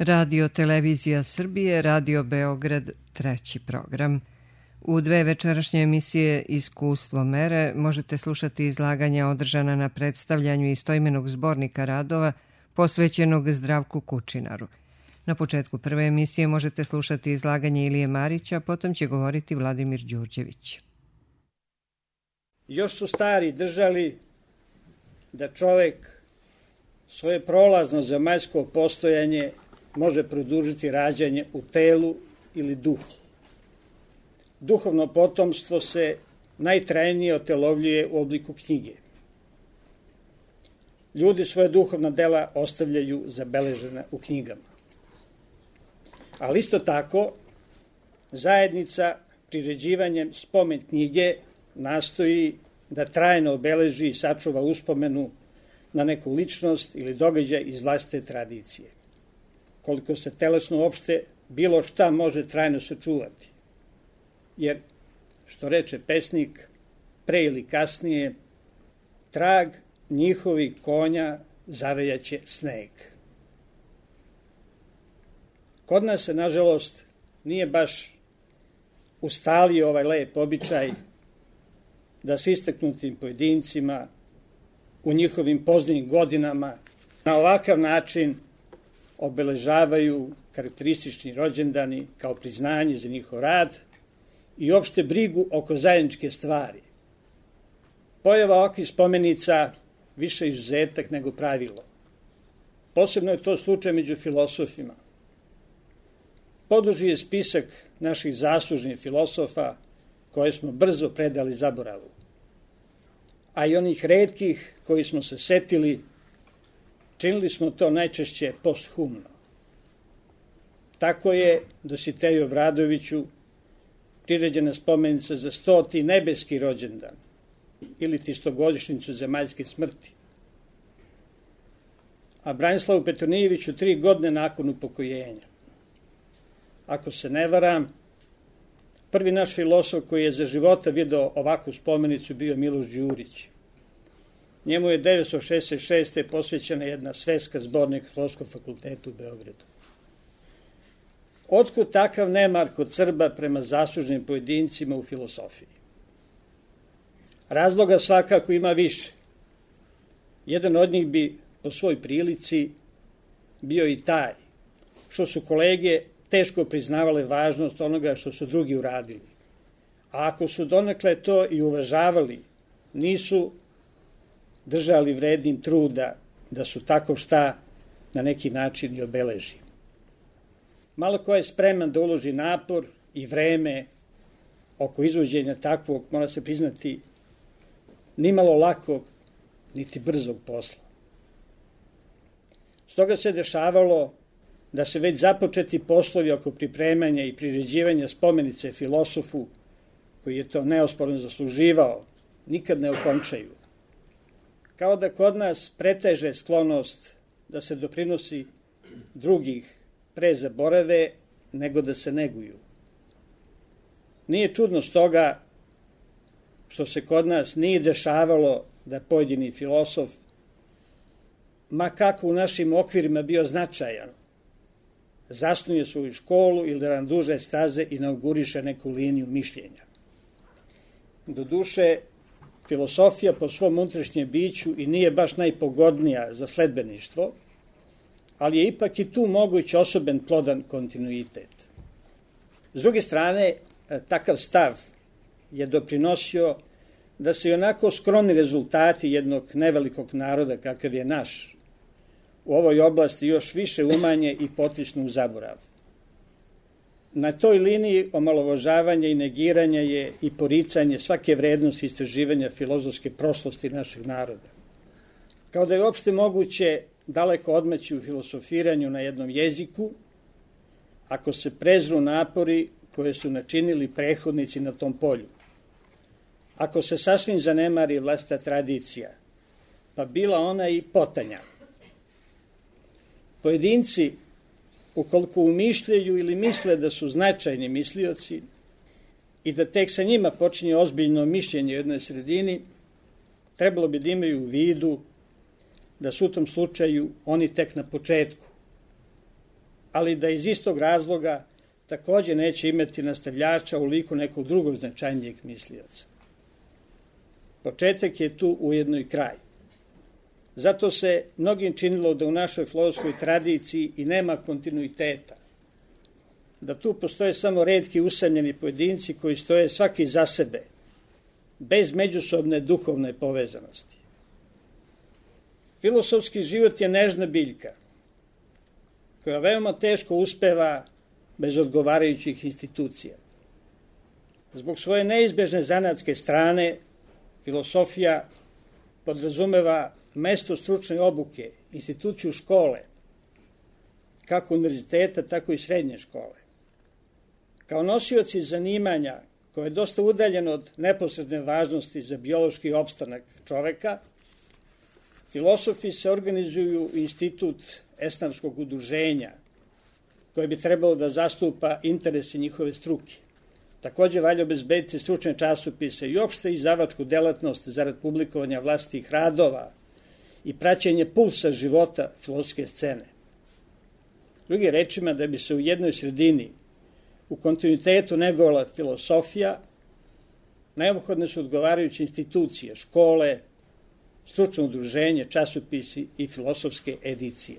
Radio Televizija Srbije, Radio Beograd, treći program. U dve večerašnje emisije Iskustvo mere možete slušati izlaganja održana na predstavljanju istoimenog zbornika radova posvećenog Zdravku Kučinaru. Na početku prve emisije možete slušati izlaganje Ilije Marića, potom će govoriti Vladimir Đurđević. Još su stari držali da čovek svoje prolazno zemaljsko postojanje može produžiti rađanje u telu ili duhu. Duhovno potomstvo se najtrajnije otelovljuje u obliku knjige. Ljudi svoje duhovna dela ostavljaju zabeležena u knjigama. Ali isto tako, zajednica priređivanjem spomen knjige nastoji da trajno obeleži i sačuva uspomenu na neku ličnost ili događaj iz vlastite tradicije. Koliko se telesno uopšte bilo šta može trajno sačuvati. Jer, što reče pesnik, pre ili kasnije, trag njihovih konja zavejaće sneg. Kod nas se, nažalost, nije baš ustalio ovaj lep običaj da s istaknutim pojedincima u njihovim poznijim godinama na ovakav način obeležavaju karakteristični rođendani kao priznanje za njihov rad i opšte brigu oko zajedničke stvari. Pojava ovakvih spomenica više izuzetak nego pravilo. Posebno je to slučaj među filosofima. Poduži je spisak naših zaslužnih filosofa koje smo brzo predali zaboravu, a i onih retkih koji smo se setili, činili smo to najčešće posthumno. Tako je Dositeju Obradoviću priređena spomenica za 100. nebeski rođendan ili 100-godišnjicu zemaljske smrti. A Branislavu Petronijeviću 3 godine nakon upokojenja. Ako se ne varam, prvi naš filosof koji je za života video ovakvu spomenicu bio Miloš Đurić. Njemu je 1966. posvećena jedna sveska zbornika Filozofskog fakulteta u Beogradu. Otkud takav nemar kod Srba prema zaslužnim pojedincima u filosofiji? Razloga svakako ima više. Jedan od njih bi po svoj prilici bio i taj što su kolege teško priznavale važnost onoga što su drugi uradili. A ako su donekle to i uvažavali, nisu držali vrednim truda da su tako šta na neki način i obeleži. Malo ko je spreman da uloži napor i vreme oko izvođenja takvog, mora se priznati, nimalo lakog niti brzog posla. Stoga se dešavalo da se već započeti poslovi oko pripremanja i priređivanja spomenice filosofu, koji je to neosporno zasluživao, nikad ne okončaju. Kao da kod nas preteže sklonost da se doprinosi drugih pre zaborave nego da se neguju. Nije čudno stoga što se kod nas nije dešavalo da pojedini filosof, ma kako u našim okvirima bio značajan, zasnuje svoju školu ili da nam duže staze inauguriše neku liniju mišljenja. Doduše, filosofija po svom unutrašnjem biću i nije baš najpogodnija za sledbeništvo, ali je ipak i tu moguć osoben plodan kontinuitet. S druge strane, takav stav je doprinosio da se i onako skromni rezultati jednog nevelikog naroda kakav je naš u ovoj oblasti još više umanje i potičnu u zaborav. Na toj liniji omalovažavanja i negiranja je i poricanje svake vrednosti istraživanja filozofske prošlosti našeg naroda. Kao da je uopšte moguće daleko odmaći u filosofiranju na jednom jeziku, ako se prezru napori koje su načinili prethodnici na tom polju. Ako se sasvim zanemari vlastita tradicija, pa bila ona i potanja. Pojedinci, ukoliko umišljaju ili misle da su značajni mislioci i da tek sa njima počinje ozbiljno mišljenje u jednoj sredini, trebalo bi da imaju u vidu da su u tom slučaju oni tek na početku. ali da iz istog razloga takođe neće imati nastavljača u liku nekog drugog značajnijeg mislioca. Početak je tu ujedno i kraj. Zato se mnogim činilo da u našoj filozofskoj tradiciji i nema kontinuiteta, da tu postoje samo retki usamljeni pojedinci koji stoje svaki za sebe, bez međusobne duhovne povezanosti. Filosofski život je nežna biljka, koja veoma teško uspeva bez odgovarajućih institucija. Zbog svoje neizbežne zanatske strane, filosofija podrazumeva mesto stručne obuke, instituciju škole, kako univerziteta, tako i srednje škole. Kao nosioci zanimanja, koje je dosta udaljeno od neposredne važnosti za biološki opstanak čoveka, filosofi se organizuju u institut esnafskog udruženja, koje bi trebalo da zastupa interese njihove struke. Takođe valja obezbediti stručne časopise i opšte izdavačku delatnost zarad publikovanja vlastitih radova i praćenje pulsa života filozofske scene. Drugim rečima, da bi se u jednoj sredini u kontinuitetu negovala filosofija, neophodne su odgovarajuće institucije, škole, stručno udruženje, časopisi i filosofske edicije.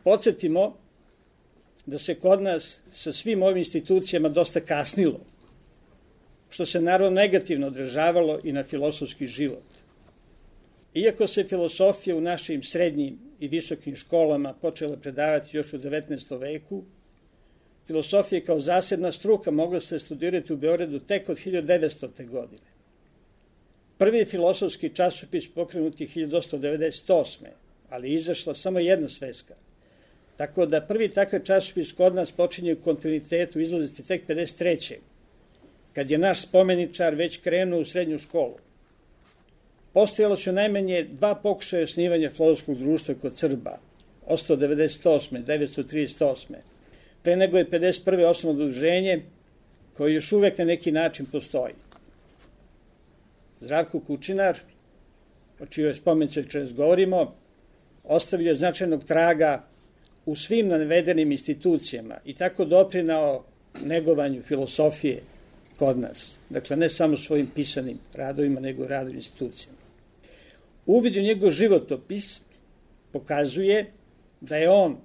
Podsjetimo da se kod nas sa svim ovim institucijama dosta kasnilo, što se naravno negativno odražavalo i na filosofski život. Iako se filosofija u našim srednjim i visokim školama počela predavati još u 19. veku, filosofija kao zasebna struka mogla se studirati u Beogradu tek od 1900. godine. Prvi filosofski časopis pokrenut je 1898. ali je izašla samo jedna sveska. Tako da prvi takav časopis kod nas počinje u kontinuitetu izlaziti tek 53. kad je naš spomeničar već krenuo u srednju školu. Postojalo su najmanje 2 pokušaja osnivanja filozofskog društva kod Srba, 898. 938. Pre nego je 51. osnovno udruženje koje još uvek na neki način postoji. Zdravko Kučinar, o čijoj spomenici večeras govorimo, ostavio značajnog traga u svim navedenim institucijama i tako doprinao negovanju filosofije kod nas. Dakle, ne samo svojim pisanim radovima, nego i radovim institucijama. Uvid u njegov životopis pokazuje da je on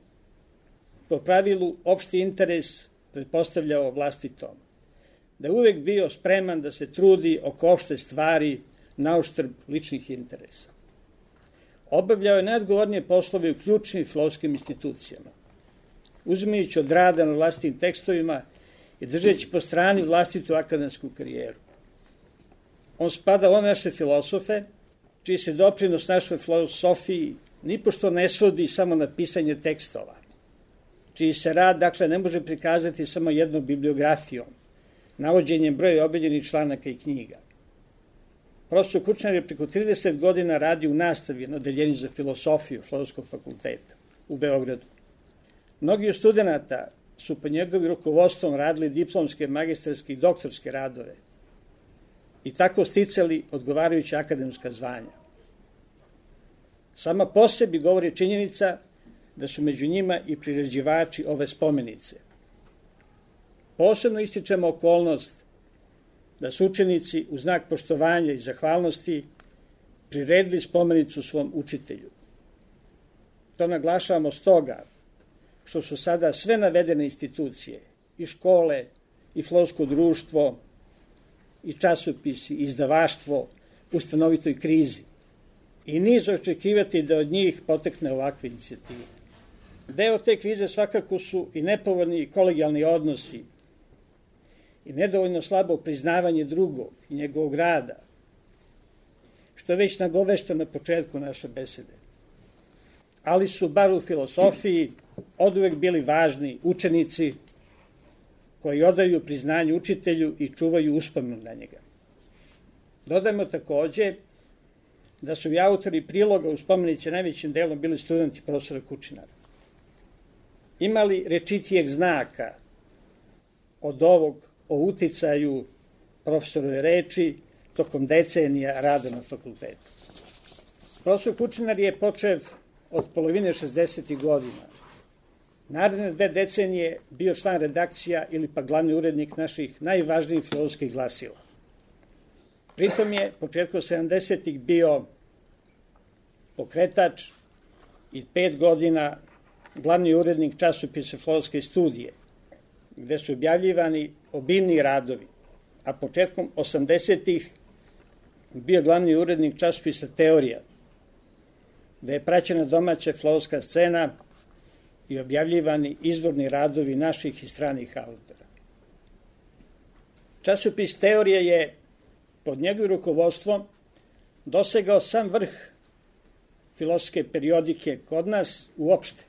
po pravilu opšti interes pretpostavljao vlastitom, da je uvek bio spreman da se trudi oko opšte stvari na uštrb ličnih interesa. Obavljao je najodgovornije poslove u ključnim filozofskim institucijama, uzimajući od rada na vlastitim tekstovima i držeći po strani vlastitu akademsku karijeru. On spada u naše filosofe, čiji se doprinos našoj filosofiji nipošto ne svodi samo na pisanje tekstova, čiji se rad, dakle, ne može prikazati samo jednom bibliografijom, navođenjem broja objavljenih članaka i knjiga. Profesor Kučinar je preko 30 godina radio u nastavi na odeljenju za filosofiju Filozofskog fakulteta u Beogradu. Mnogi od studenta su pod njegovim rukovodstvom radili diplomske, magistarske i doktorske radove i tako sticali odgovarajuća akademska zvanja. Sama po sebi govori činjenica da su među njima i priređivači ove spomenice. Posebno ističemo okolnost da su učenici u znak poštovanja i zahvalnosti priredili spomenicu svom učitelju. To naglašavamo stoga što su sada sve navedene institucije, i škole, i filozofsko društvo, i časopisi, i izdavaštvo u stanovitoj krizi. I niz očekivati da od njih potekne ovakve inicijative. Deo te krize svakako su i nepovoljni kolegijalni odnosi i nedovoljno slabo priznavanje drugog i njegovog rada, što je već nagovešteno na početku naše besede. Ali su, bar u filosofiji, oduvek bili važni učenici koji odaju priznanje učitelju i čuvaju uspomenu na njega. Dodajmo takođe da su i autori priloga u spomenici najvećim delom bili studenti profesora Kučinara. Imali rečitijeg znaka od ovog o uticaju profesorove reči tokom decenija rada na fakultetu. Profesor Kučinar je počev od polovine 60. godina Naredne 2 decenije bio član redakcija ili pa glavni urednik naših najvažnijih filozofskih glasila. Pritom je početkom 70-ih bio pokretač i 5 godina glavni urednik časopisa Filozofske studije, gde su objavljivani obimni radovi, a početkom 80-ih bio glavni urednik časopisa Teorija, gde je praćena domaća filozofska scena i objavljivani izvorni radovi naših i stranih autora. Časopis Teorija je pod njegovim rukovodstvom dosegao sam vrh filozofske periodike kod nas uopšte.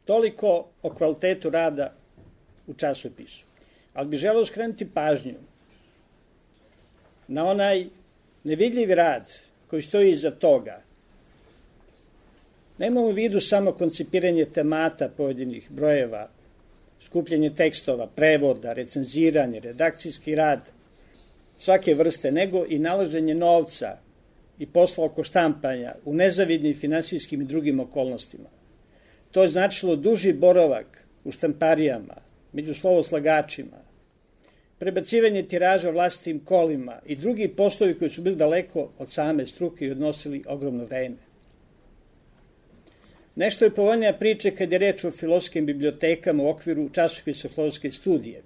Toliko o kvalitetu rada u časopisu. Ali bih želeo skrenuti pažnju na onaj nevidljivi rad koji stoji iza toga. Nemamo u vidu samo koncipiranje temata pojedinih brojeva, skupljanje tekstova, prevoda, recenziranje, redakcijski rad svake vrste, nego i nalaženje novca i posla oko štampanja u nezavidnim finansijskim i drugim okolnostima. To je značilo duži boravak u štamparijama, među slovoslagačima, prebacivanje tiraža vlastitim kolima i drugi poslovi koji su bili daleko od same struke i odnosili ogromno vreme. Nešto je povoljnija priča kad je reč o filozofskim bibliotekama u okviru časopisa Filozofske studije,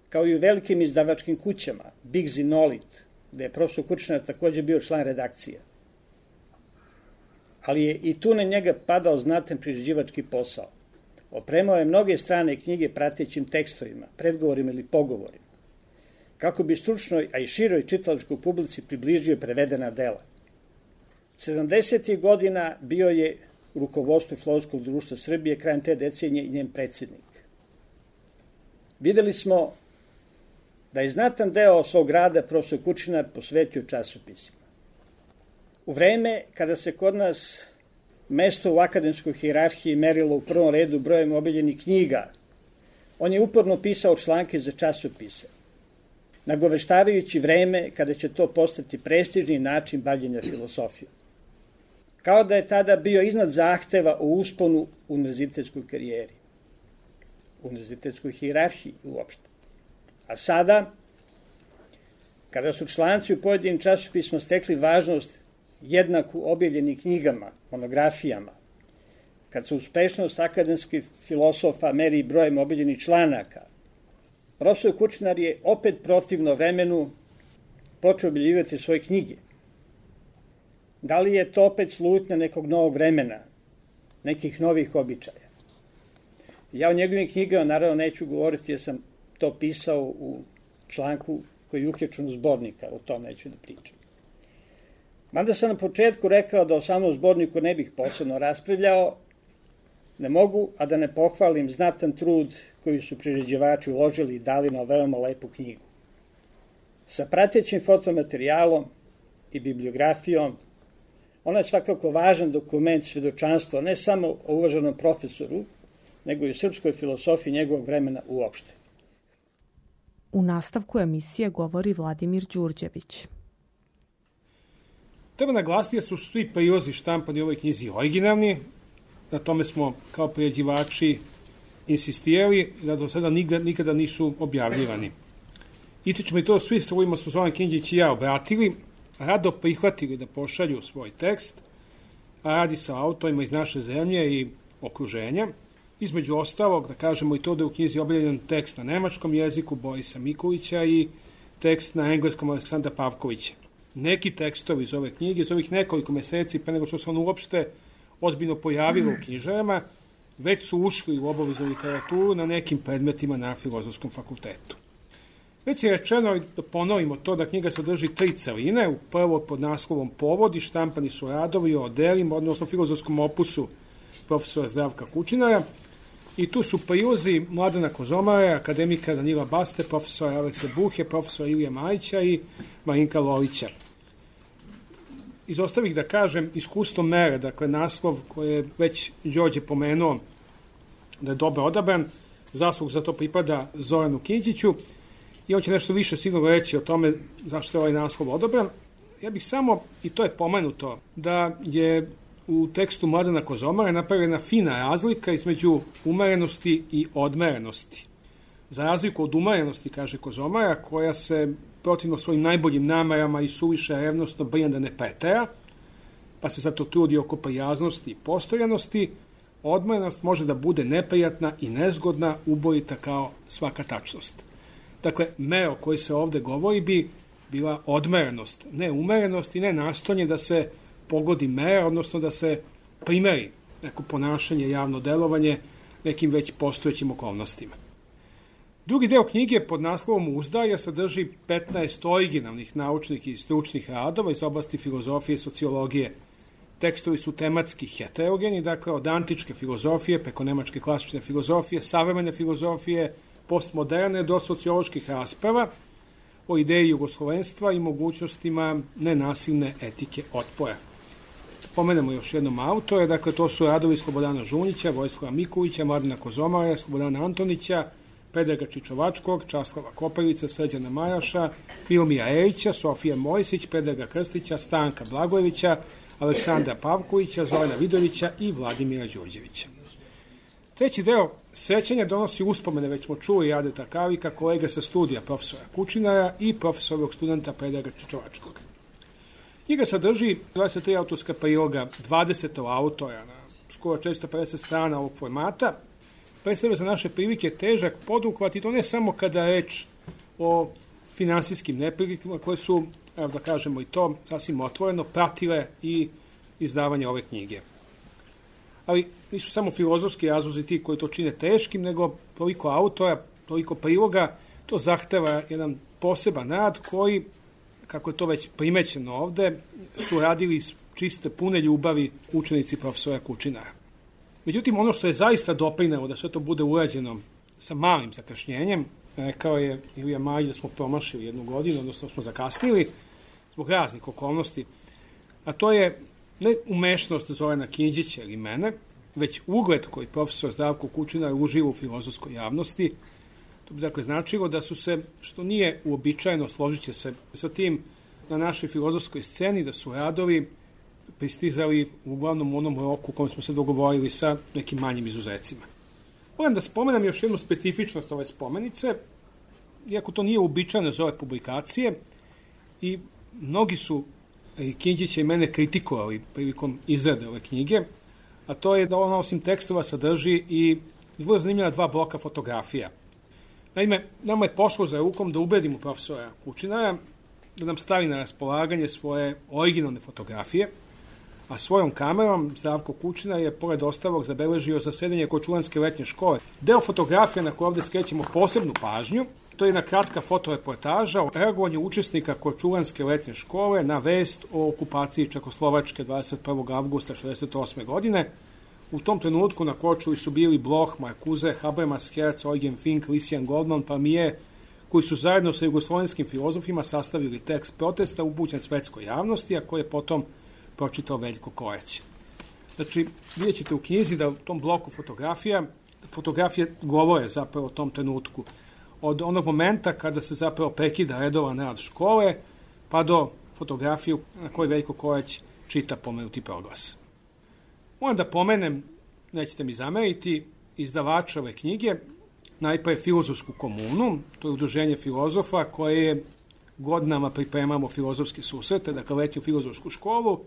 kao i u velikim izdavačkim kućama, Biggs i Nolit, gde je profesor Kučnar takođe bio član redakcija. Ali je i tu na njega padao znatan priređivački posao. Opremao je mnoge strane knjige pratećim tekstovima, predgovorima ili pogovorima, kako bi stručnoj, a i široj čitalačkoj publici približio prevedena dela. 70. godina bio je u rukovodstvu Filozofskog društva Srbije, krajem te decenije i njen predsjednik. Videli smo da je znatan deo svog rada profesor Kučinar posvetio časopisima. U vreme kada se kod nas mesto u akademskoj hijerarhiji merilo u prvom redu brojem objavljenih knjiga, on je uporno pisao članke za časopise, nagoveštavajući vreme kada će to postati prestižni način bavljenja filosofijom. Kao da je tada bio iznad zahteva o usponu u univerzitetskoj karijeri, u univerzitetskoj hijerarhiji uopšte. A sada, kada su članci u pojedinim časopisima stekli važnost jednaku objavljenim knjigama, monografijama, kad se uspešnost akademskih filosofa meri brojem objavljenih članaka, profesor Kučnar je opet protivno vremenu počeo objavljivati svoje knjige. Da li je to opet slutnja nekog novog vremena, nekih novih običaja? Ja o njegovim knjigama naravno neću govoriti jer sam to pisao u članku koji je uključen u zbornika, o tom neću da pričam. Mada sam na početku rekao da o samom zborniku ne bih posebno raspravljao, ne mogu, a da ne pohvalim znatan trud koji su priređivači uložili i dali na veoma lepu knjigu. Sa pratećim fotomaterijalom i bibliografijom, ona je svakako važan dokument svedočanstva ne samo o uvaženom profesoru, nego i o srpskoj filosofiji njegovog vremena uopšte. U nastavku emisije govori Vladimir Đurđević. Treba naglasiti da su svi prilozi štampani u ovoj knjizi originalni, na tome smo kao priređivači insistirali da do sada nikada nisu objavljivani. Ističemo i to svi sa ovima su Zoran Kinđić i ja obratili, rado prihvatili da pošalju svoj tekst, a radi sa autorima iz naše zemlje i okruženja. Između ostalog, da kažemo i to da je u knjizi objavljen tekst na nemačkom jeziku Borisa Mikulića i tekst na engleskom Aleksandra Pavkovića. Neki tekstovi iz ove knjige, iz ovih nekoliko meseci, pre nego što se on uopšte ozbiljno pojavilo u knjižarama, već su ušli u obaveznu literaturu na nekim predmetima na Filozofskom fakultetu. Već je rečeno, da ponovimo to, da knjiga sadrži 3 celine, u prvo pod naslovom Povodi, štampani su radovi o delima, odnosno filozofskom opusu profesora Zdravka Kučinara, i tu su prilozi Mladena Kozomara, akademika Danila Baste, profesora Alekse Buhe, profesora Ilije Majića i Marinka Lolića. Izostavih da kažem iskustvo mere, dakle naslov koji je već Đorđe pomenuo da je dobro odabran, zaslug za to pripada Zoranu Kinđiću i on će nešto više sigurno reći o tome zašto je ovaj naslov odabran. Ja bih samo, i to je pomenuto, da je u tekstu Mladena Kozomara je napravljena fina razlika između umerenosti i odmerenosti. Za razliku od umerenosti, kaže Kozomara, koja se protivno svojim najboljim namerama i suviše revnosno brine da ne pretera, pa se zato trudi oko prijaznosti i postojanosti, odmerenost može da bude neprijatna i nezgodna, ubojita kao svaka tačnost. Dakle, mera o kojoj se ovde govori bi bila odmerenost, ne umerenost i ne nastojanje da se pogodi mera, odnosno da se primeri neko ponašanje, javno delovanje nekim već postojećim okolnostima. Drugi deo knjige pod naslovom Uzdaja sadrži 15 originalnih naučnih i stručnih radova iz oblasti filozofije i sociologije. Tekstovi su tematski heterogeni, dakle od antičke filozofije preko nemačke klasične filozofije, savremene filozofije, postmoderne do socioloških rasprava o ideji jugoslovenstva i mogućnostima nenasilne etike otpora. Pomenemo još jednom autore, dakle to su radovi Slobodana Žunjića, Vojislava Mikulića, Mladena Kozomara, Slobodana Antonića, Predraga Čičovačkog, Časlava Koprivica, Srđana Maraša, Milomira Erića, Sofija Mojsić, Predraga Krstića, Stanka Blagojevića, Aleksandra Pavkovića, Zorana Vidovića i Vladimira Đurđevića. Treći deo sećanja donosi uspomene, već smo čuli Radeta Kavika, kolega sa studija profesora Kučinara i profesorovog studenta Predraga Čičovačkog. Knjiga sadrži 23 autorska priloga, 20 autora na skoro 450 strana ovog formata. Predstavlja za naše prilike težak poduhvat i to ne samo kada je reč o finansijskim neprilikama koje su, evo da kažemo i to, sasvim otvoreno, pratile i izdavanje ove knjige. Ali nisu samo filozofski razlozi ti koji to čine teškim, nego toliko autora, toliko priloga, to zahteva jedan poseban rad koji, kako je to već primećeno ovde, su radili iz čiste, pune ljubavi učenici profesora Kučinara. Međutim, ono što je zaista doprinelo da sve to bude urađeno sa malim zakašnjenjem, rekao je Ilija Marić da smo promašili jednu godinu, odnosno smo zakasnili zbog raznih okolnosti, a to je ne umešnost Zorana Kinđića ili mene, već ugled koji profesor Zdravko Kučinar uživa u filozofskoj javnosti. To bi dakle značilo da su se, što nije uobičajeno, složit će se sa tim na našoj filozofskoj sceni, da su radovi pristizali uglavnom u onom roku u kojem smo se dogovorili sa nekim manjim izuzecima. Moram da spomenem još jednu specifičnost ove spomenice, iako to nije uobičajeno za ove publikacije, i mnogi su Kinđića i mene kritikovali prilikom izrade ove knjige, a to je da ona osim tekstova sadrži i vrlo zanimljiva 2 bloka fotografija. Naime, nama je pošlo za rukom da ubedimo profesora Kučinara da nam stavi na raspolaganje svoje originalne fotografije, a svojom kamerom Zdravko Kučinar je, pored ostalog, zabeležio zasedanje Korčulanske letnje škole. Deo fotografija na koje ovde skrećemo posebnu pažnju, to je jedna kratka fotoreportaža o reagovanju učesnika Korčulanske letnje škole na vest o okupaciji Čekoslovačke 21. avgusta 1968. godine. U tom trenutku na Korčuli su bili Bloch, Marcuse, Habermas, Herz, Eugen Fink, Lysian Goldman, Palmier, koji su zajedno sa jugoslovenskim filozofima sastavili tekst protesta upućen svetskoj javnosti, a koji je potom pročitao Veljko Koreć. Znači, vidjet ćete u knjizi da u tom bloku fotografije govore zapravo o tom trenutku. Od onog momenta kada se zapravo prekida redovan rad škole, pa do fotografiju na kojoj Veljko Koreć čita pomenuti proglas. Moram da pomenem, nećete mi zameriti, izdavača ove knjige, najpre Filozofsku komunu, to je udruženje filozofa koje je godinama pripremamo filozofske susrete, dakle letnju filozofsku školu,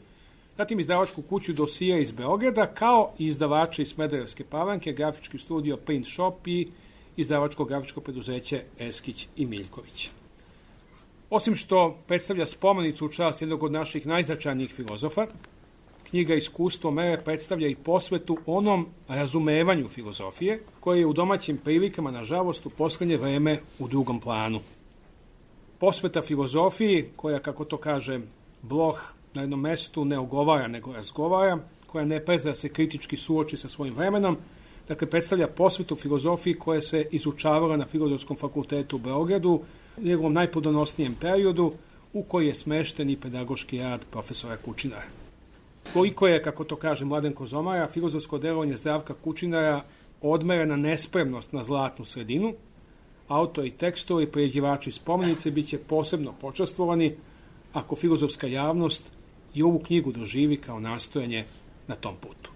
zatim izdavačku kuću Dosije iz Beograda, kao i izdavače iz Smederevske Palanke, grafički studio Print Shop i izdavačko grafičko preduzeće Eskić i Miljković. Osim što predstavlja spomenicu u čast jednog od naših najznačajnijih filozofa, knjiga Iskustvo mere predstavlja i posvetu onom razumevanju filozofije, koje je u domaćim prilikama, nažalost, u poslednje vreme u drugom planu. Posveta filozofiji, koja, kako to kaže Bloch, na jednom mestu ne ogovara, nego razgovara, koja ne prezira se kritički suoči sa svojim vremenom, dakle predstavlja posvetu filozofiji koja se izučavala na Filozofskom fakultetu u Beogradu u njegovom najplodonosnijem periodu, u koji je smešten i pedagoški rad profesora Kučinara. Koliko je, kako to kaže Mladen Kozomara, filozofsko delovanje Zdravka Kučinara odmerena nespremnost na zlatnu sredinu, autori tekstovi i priređivači spomenice biće posebno počastvovani ako filozofska javnost i ovu knjigu doživi kao nastojanje na tom putu.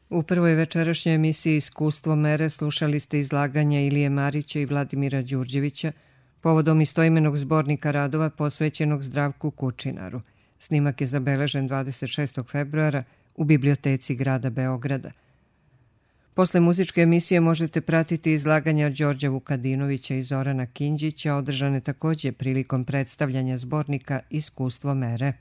U prvoj večerašnjoj emisiji Iskustvo mere slušali ste izlaganja Ilije Marića i Vladimira Đurđevića povodom istoimenog zbornika radova posvećenog Zdravku Kučinaru. Snimak je zabeležen 26. februara u biblioteci grada Beograda. Posle muzičke emisije možete pratiti izlaganja Đorđa Vukadinovića i Zorana Kinđića, održane takođe prilikom predstavljanja zbornika Iskustvo mere.